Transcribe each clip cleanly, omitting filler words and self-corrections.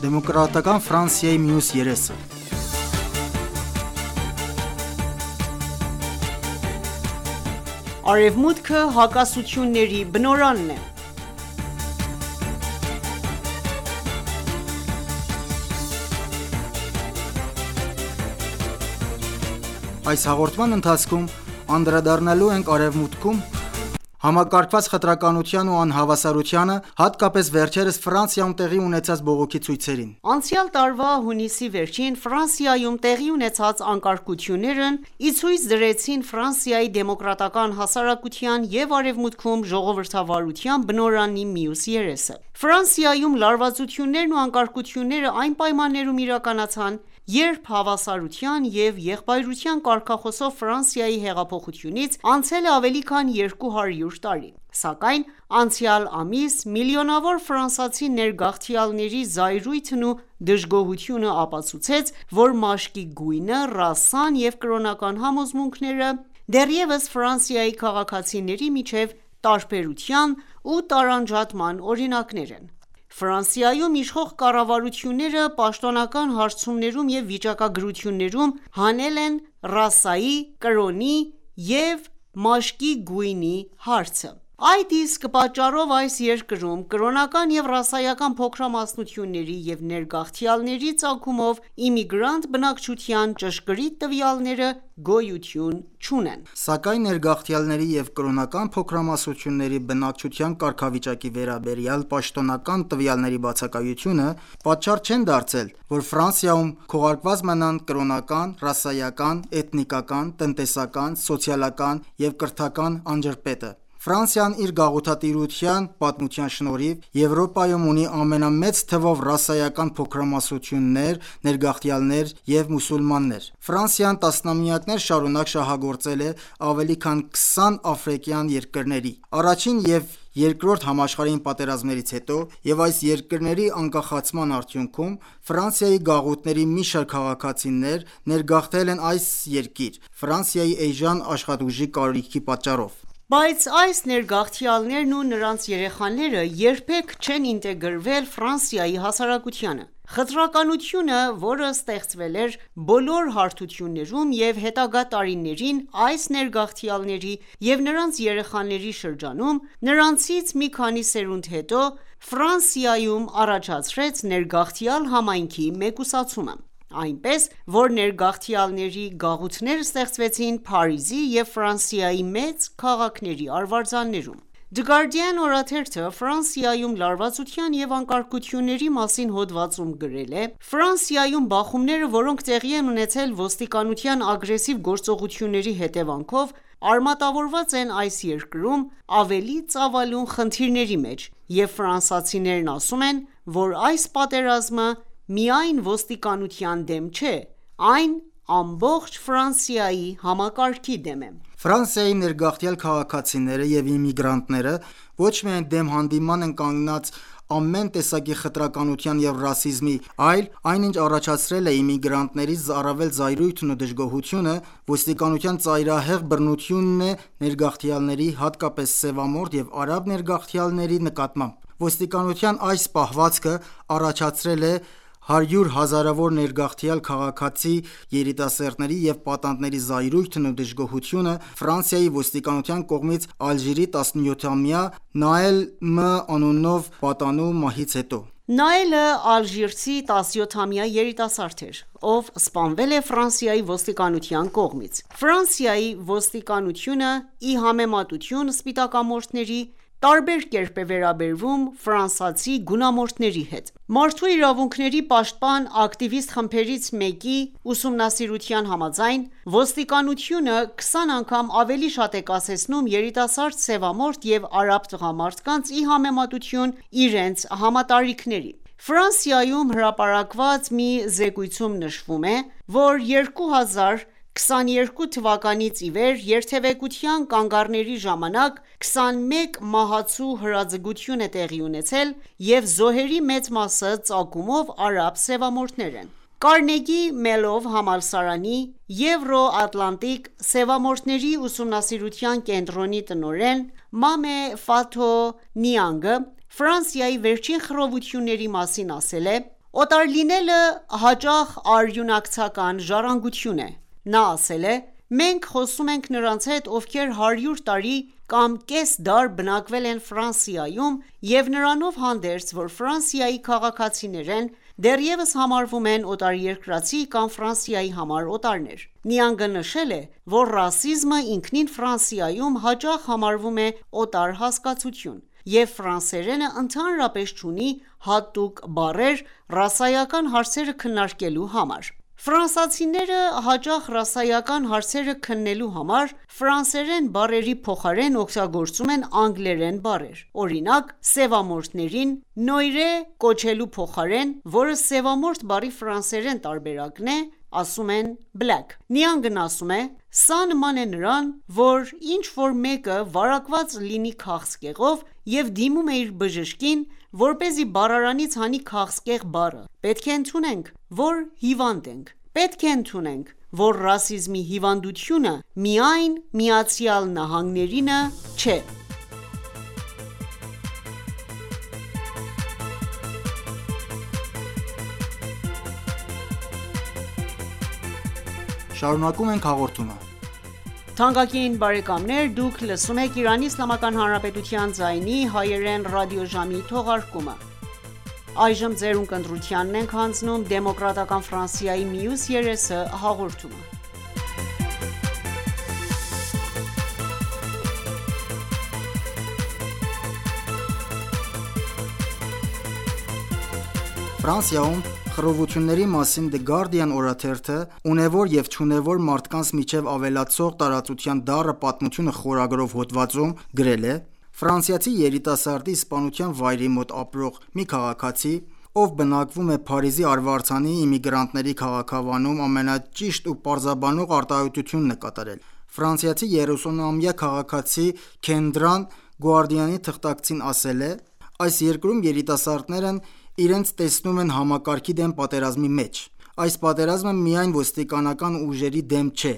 Դեմոկրատական Ֆրանսիայի մյուս երեսը։ Արևմուտքը հակասությունների բնօրանն է։ Այս հաղորդման ընթացքում անդրադառնալու ենք Արևմուտքում համակարգված խտրականության ու անհավասարությանը, հատկապես վերջերս Ֆրանսիայում տեղի ունեցած բողոքի ցույցերին։ Անցյալ տարվա հունիսի վերջին Ֆրանսիայում տեղի ունեցած անկարգություններն ի ցույց դրեցին Ֆրանսիայի դեմոկրատական հասարակության և Արևմուտքում ժողովրդավարության բնօրանի մյուս երեսը։ Ֆրանսիայում լարվածություններն ու անկարգությունները այն պայմաններում իրականացան, երբ հավասարության և եղբայրության կարգախոսով Ֆրանսիայի հեղափոխությունից անցել է ավելի քան 200 տարի։ Սակայն անցյալ ամիս միլիոնավոր ֆրանսիացի ներգաղթյալների զայրույթն ու դժգոհությունը ապացուցեց, որ մաշկի գույնը, ռասան և կրոնական համոզմունքները դեռևս Ֆրանսիայի քաղաքացիների միջև տարբերության ու տարանջատման օրինակներ են։ Ֆրանսիայում իշխող կառավարությունները պաշտոնական հարցումներում և վիճակագրություններում հանել են ռասայի, կրոնի և մաշկի գույնի հարցը։ Այդ իսկ պատճառով այս երկրում կրոնական և ռասայական փոքրամասնությունների և ներգաղթյալների ծագումով իմիգրանտ բնակչության ճշգրիտ տվյալները գոյություն չունեն։ Սակայն ներգաղթյալների և կրոնական փոքրամասնությունների բնակչության կարգավիճակի վերաբերյալ պաշտոնական տվյալների բացակայությունը պատճառ չեն դարձել, որ Ֆրանսիայում քողարկված մնան կրոնական, ռասայական, էթնիկական, տնտեսական, սոցիալական և կրթական անջրպետը։ Ֆրանսիան իր գաղութատիրության պատմության շնորհիվ Եվրոպայում ունի ամենամեծ թվով ռասայական փոքրամասնություններ, ներգաղթյալներ և մուսուլմաններ։ Ֆրանսիան տասնամյակներ շարունակ շահագործել է ավելի քան 20 աֆրիկյան երկրների։ Առաջին և Երկրորդ համաշխարհային պատերազմներից հետո և այս երկրների անկախացման արդյունքում Ֆրանսիայի գաղութների մի շարք քաղաքացիներ ներգաղթել են այս երկիր՝ Ֆրանսիայի էժան աշխատուժի կարիքի պատճառով։ Բայց այս ներգաղթյալներն ու նրանց երեխաները երբեք չեն ինտեգրվել Ֆրանսիայի հասարակությանը։ Խտրականությունը, որը ստեղծվել էր բոլոր հարթություններում և հետագա տարիներին այս ներգաղթյալների և նրանց երեխաների շրջանում, նրանցից մի քանի սերունդ հետո Ֆրանսիայում առաջացրեց ներգաղթյալ համայնքի մեկուսացումը, այնպես որ ներգաղթյալների գաղութներ ստեղծվեցին Փարիզի և Ֆրանսիայի մեծ քաղաքների արվարձաններում։ The Guardian օրաթերթը Ֆրանսիայում լարվածության և անկարգությունների մասին հոդվածում գրել է. «Ֆրանսիայում բախումները, որոնք տեղի են ունեցել ոստիկանության ագրեսիվ գործողությունների հետևանքով, արմատավորված են այս երկրում ավելի ծավալուն խնդիրների մեջ, և ֆրանսիացիներն ասում են, որ այս պատերազմը միայն ոստիկանության դեմ չէ, այն ամբողջ Ֆրանսիայի համակարգի դեմ է»։ Ֆրանսիայի ներգաղթյալ քաղաքացիները և իմիգրանտները ոչ միայն դեմ հանդիման են կանգնած ամեն տեսակի խտրականության և ռասիզմի, այլ այնինչ առաջացրել է իմիգրանտներից առավել զայրույթն ու դժգոհությունը, ոստիկանության ծայրահեղ բռնությունն է ներգաղթյալների, հատկապես սևամորթ և արաբ ներգաղթյալների նկատմամբ։ Ոստիկանության այս պահվածքը առաջացրել է հարյուր հազարավոր ներգաղթյալ քաղաքացի երիտասարդների և պատանդների զայրույթն ու դժգոհությունը Ֆրանսիայի ոստիկանության կողմից Ալժիրի 17-ամյա Նաել M. անունով պատանու մահից հետո։ Նաելը ալժիրցի 17-ամյա երիտասարդ էր, ով սպանվել է Ֆրանսիայի ոստիկանության կողմից։ Ֆրանսիայի ոստիկանությունը, ի համեմատություն սպիտակամորթների, տարբեր կերպ է վերաբերվում ֆրանսիացի գունամորթների հետ։ Մարդու իրավունքների պաշտպան ակտիվիստ խմբերից մեկի ուսումնասիրության համաձայն, ոստիկանությունը 20 անգամ ավելի շատ է կասեցնում երիտասարդ սևամորթ և արաբ տղամարդկանց ի համեմատություն իրենց համատարիքների։ Ֆրանսիայում հրապարակված մի զեկույցում նշվում է, որ 2022 թվականից ի վեր երթևեկության կանգառների ժամանակ 21 մահացու հրաձգություն է տեղի ունեցել և զոհերի մեծ մասը ծագումով արաբ սևամորթներ են։ Կարնեգի Մելոն համալսարանի Եվրո-Ատլանտիկ սևամորթների ուսումնասիրության կենտրոնի տնօրեն Մամե Ֆաթո Նիանգը Ֆրանսիայի վերջին խռովությունների մասին ասել է. Օտար լինելը հաճախ արյունակցական ժառանգություն է: Նա ասել է. «Մենք խոսում ենք նրանց հետ, ովքեր 100 տարի կամ կես դար բնակվել են Ֆրանսիայում և նրանով հանդերձ, որ Ֆրանսիայի քաղաքացիներ են, դեռևս համարվում են օտարերկրացի կամ Ֆրանսիայի համար օտարներ»: Նիանգը նշել է, որ ռասիզմը ինքնին Ֆրանսիայում հաճախ համարվում է օտար հասկացություն, և ֆրանսերենը ընդհանրապես չունի հատուկ բառեր ռասայական հարցերը քննարկելու համար: Ֆրանսացիները հաճախ ռասայական հարցերը քննելու համար ֆրանսերեն բառերի փոխարեն օգտագործում են անգլերեն բառեր: Օրինակ, սևամորթներին «noir»-e կոչելու փոխարեն, որը սևամորթ բառի ֆրանսերեն տարբերակն է, ասում են black: Նիանգն ասում է. «Սա նման է նրան, որ ինչ-որ մեկը վարակված լինի քաղցկեղով և դիմում է իր բժշկին, որպեսզի բառարանից հանի քաղցկեղ բառը: Պետք է ընդունենք, որ հիվանդ ենք: Պետք է ընդունենք, որ ռասիզմի հիվանդությունը միայն ԱՄՆ-ինը չէ»: Շարունակում ենք հաղորդումը: Թանկագին բարեկամներ, դուք լսում եք Իրանի Իսլամական Հանրապետության ձայնի հայերեն ռադիոժամի թողարկումը: Այժմ ձերուն կընտրությանն ենք հանձնում Դեմոկրատական Ֆրանսիայի մյուս երեսը հաղորդումը: Ֆրանսիայում խռովությունների մասին The Guardian օրաթերթը «Ունևոր և չունևոր մարդկանց միջև ավելացող տարածության դառը պատմությունը» խորագրով հոդվածում գրել է. «Ֆրանսիացի երիտասարդի սպանության վայրի մոտ ապրող մի քաղաքացի, ով բնակվում է Փարիզի Արվարձանի իմիգրանտների քաղաքավանում, ամենաճիշտ ու պարզաբանող արտահայտությունն է կատարել: Ֆրանսիացի 30-ամյա քաղաքացի Քենդրան Guardian-ի թղթակցին ասել է. «Այս երկրում երիտասարդներն իրենց տեսնում են համակարգի դեմ պատերազմի մեջ: Այս պատերազմը միայն ոստիկանական ուժերի դեմ չէ,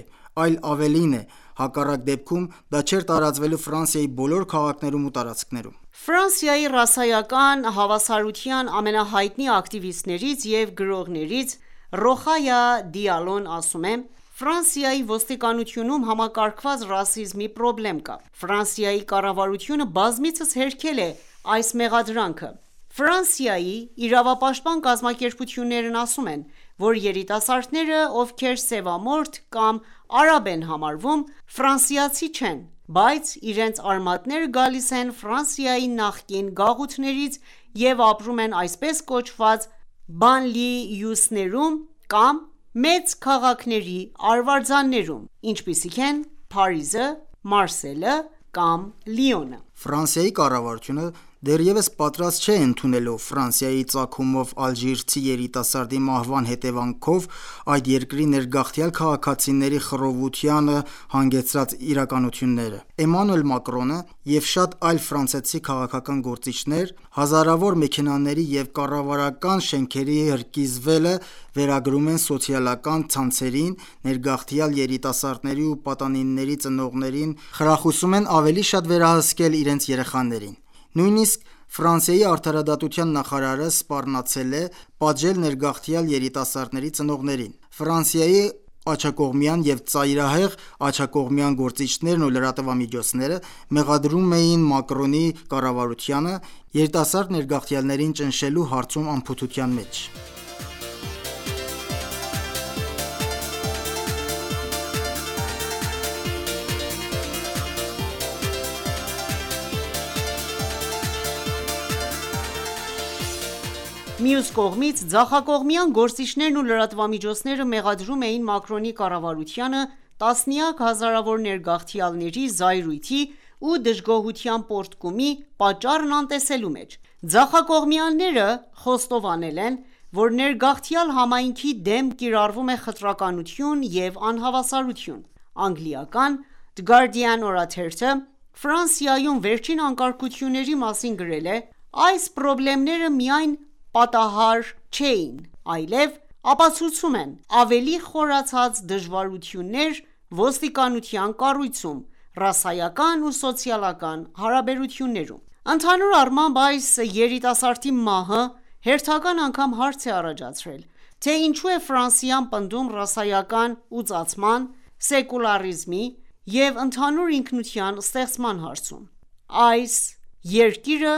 այլ ավելին է, հակառակ դեպքում դա չէր տարածվելու Ֆրանսիայի բոլոր քաղաքներում ու տարածքներում»: Ֆրանսիայի ռասայական հավասարության ամենահայտնի ակտիվիստներից և գրողներից Ռոխայա Դիալոն ասում է. «Ֆրանսիայի ոստիկանությունում համակարգված ռասիզմի պրոբլեմ կա: Ֆրանսիայի կառավարությունը բազմիցս հերքել է այս մեղադրանքը: Ֆրանսիայի իրավապաշտպան կազմակերպություններն ասում են, որ երիտասարդները, ովքեր սևամորթ կամ արաբ են համարվում, ֆրանսիացի չեն, բայց իրենց արմատները գալիս են Ֆրանսիայի նախկին գաղութներից և ապրում են այսպես կոչված բանլիյուսներում կամ մեծ քաղաքների արվարձաններում, ինչպիսիք են Փարիզը, Մարսելը կամ Լիոնը»: Ֆրանսիայի կառավարությունը դեռևս պատրաստ չէ ընդունելու Ֆրանսիայի ծագումով ալժիրցի երիտասարդի մահվան հետևանքով այդ երկրի ներգաղթյալ քաղաքացիների խռովությանը հանգեցրած իրականությունները: Էմանուել Մակրոնը և շատ այլ ֆրանսիացի քաղաքական գործիչներ հազարավոր մեքենաների և կառավարական շենքերի հրկիզվելը վերագրում են սոցիալական ցանցերին, ներգաղթյալ երիտասարդների ու պատանիների ծնողներին խրախուսում են ավելի շատ վերահսկել իրենց երեխաներին: Նույնիսկ Ֆրանսիայի արդարադատության նախարարը սպառնացել է պատժել ներգաղթյալ երիտասարդների ծնողներին: Ֆրանսիայի աջակողմյան և ծայրահեղ աջակողմյան գործիչներն ու լրատվամիջոցները մեղադրում էին Մակրոնի կառավարությանը երիտասարդ ներգաղթյալներին ճնշելու հարցում անփութության մեջ: Մյուս կողմից, ձախակողմյան գործիչներն ու լրատվամիջոցները մեղադրում էին Մակրոնի կառավարությանը տասնյակ հազարավոր ներգաղթյալների զայրույթի ու դժգոհության պոռթկումի պատճառն անտեսելու մեջ: Ձախակողմյանները խոստովանել են, որ ներգաղթյալ համայնքի դեմ կիրառվում է խտրականություն և անհավասարություն: Անգլիական The Guardian օրաթերթը Ֆրանսիայում վերջին անկարգությունների մասին գրել է. «Այս պրոբլեմները միայն պատահար չէին, այլև ապացուցում են ավելի խորացած դժվարություններ ոստիկանության կառույցում, ռասայական ու սոցիալական հարաբերություններում»: Ընդհանուր առմամբ, այս երիտասարդի մահը հերթական անգամ հարց է առաջացրել, թե ինչու է Ֆրանսիան պնդում ռասայական ուծացման, սեկուլարիզմի և ընդհանուր ինքնության ստեղծման հարցում։ Այս երկիրը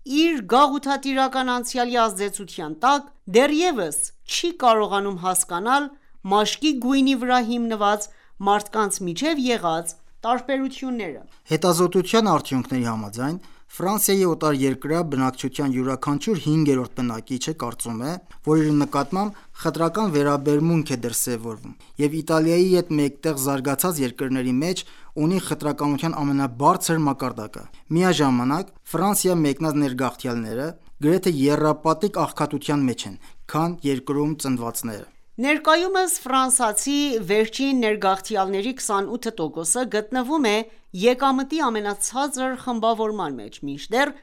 իր գաղութատիրական անցյալի ազդեցության տակ դեռևս չի կարողանում հասկանալ մաշկի գույնի վրա հիմնված մարդկանց միջև եղած տարբերությունները։ Հետազոտության արդյունքների համաձայն, Ֆրանսիայի օտարերկրյա բնակչության յուրաքանչյուր 5-րդ բնակիչը կարծում է, որ իր նկատմամբ խտրական վերաբերմունք է դրսևորվում, և Իտալիայի հետ մեկտեղ զարգացած երկրների մեջ ունի խտրականության ամենաբարձր մակարդակը։ Միաժամանակ, Ֆրանսիա մեկնած ներգաղթյալները գրեթե եռապատիկ աղքատության մեջ են, քան երկրում ծնվածները։ Ներկայումս ֆրանսիացի վերջին ներգաղթյալների 28%-ը գտնվում է եկամտի ամենացածր խմբավորման մեջ, մինչդեռ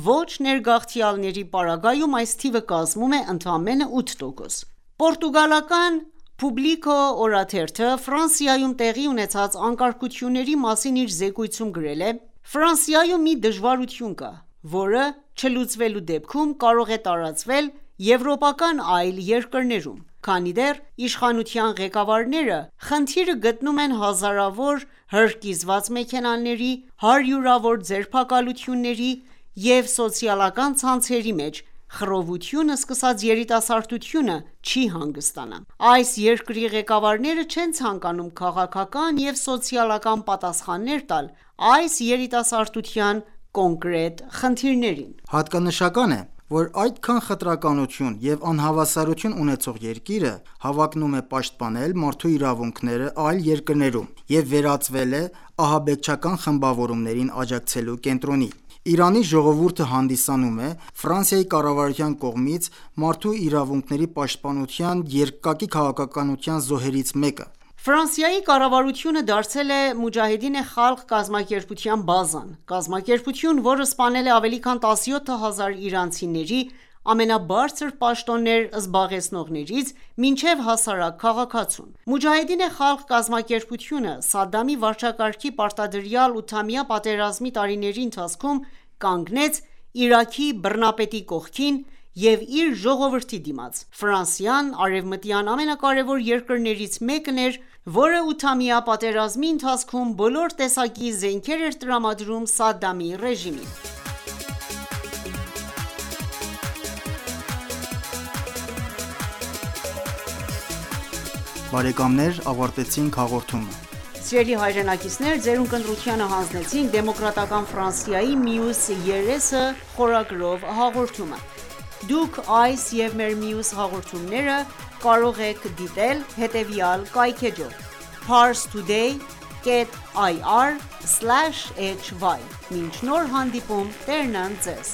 ոչ ներգաղթյալների պարագայում այս թիվը կազմում է ընդամենը 8%։ Պորտուգալական Publico օրաթերթը Ֆրանսիայում տեղի ունեցած անկարգությունների մասին իր զեկույցում գրել է. «Ֆրանսիայում մի դժվարություն կա, որը չլուծվելու դեպքում կարող է տարածվել եվրոպական այլ երկրներում, քանի դեռ իշխանության ղեկավարները խնդիրը գտնում են հազարավոր հրկիզված մեքենաների, հարյուրավոր ձերբակալությունների և սոցիալական ցանցերի մեջ խռովությունը սկսած երիտասարդությունը չի հանգստանա։ Այս երկրի ղեկավարները չեն ցանկանում քաղաքական և սոցիալական պատասխաններ տալ այս երիտասարդության կոնկրետ խնդիրներին»։ Հատկանշական է, որ այդքան խտրականություն և անհավասարություն ունեցող երկիրը հավակնում է պաշտպանել մարդու իրավունքները այլ երկրներում և վերածվել է ահաբեկչական խմբավորումներին աջակցելու կենտրոնի։ Իրանի ժողովուրդը հանդիսանում է Ֆրանսիայի կառավարության կողմից մարդու իրավունքների պաշտպանության երկակի քաղաքականության զոհերից մեկը։ Ֆրանսիայի կառավարությունը դարձել է Մոջահեդին Խալղ կազմակերպության բազան։ Կազմակերպություն, որը սպանել է ավելի քան 17,000 իրանցիների ամենաբարձր պաշտոններ զբաղեցնողներից մինչև հասարակ քաղաքացուն։ Մոջահեդին Խալղ կազմակերպությունը Սադամի վարչակարգի պարտադրյալ 8-ամյա պատերազմի տարիների ընթացքում կանգնեց Իրաքի բռնապետի կողքին և իր ժողովրդի դիմաց։ Ֆրանսիան արևմտյան ամենակարևոր երկրներից մեկն էր, որը 8-ամյա պատերազմի ընթացքում բոլոր տեսակի զենքեր էր տրամադրում Սադամի ռեժիմին։ Բարեկամներ, ավարտեցինք հաղորդումը։ Սիրելի հայրենակիցներ, ձերուն կնդրությանը հանձնեցինք Դեմոկրատական Ֆրանսիայի մյուս երեսը խորագրով հաղորդումը։ Դուք այս և մեր մյուս հաղորդումները կարող եք դիտել հետևյալ կայքէջով՝ parstoday.ir/hy։ Մինչ նոր հանդիպում, Տերն ընդ Ձեզ։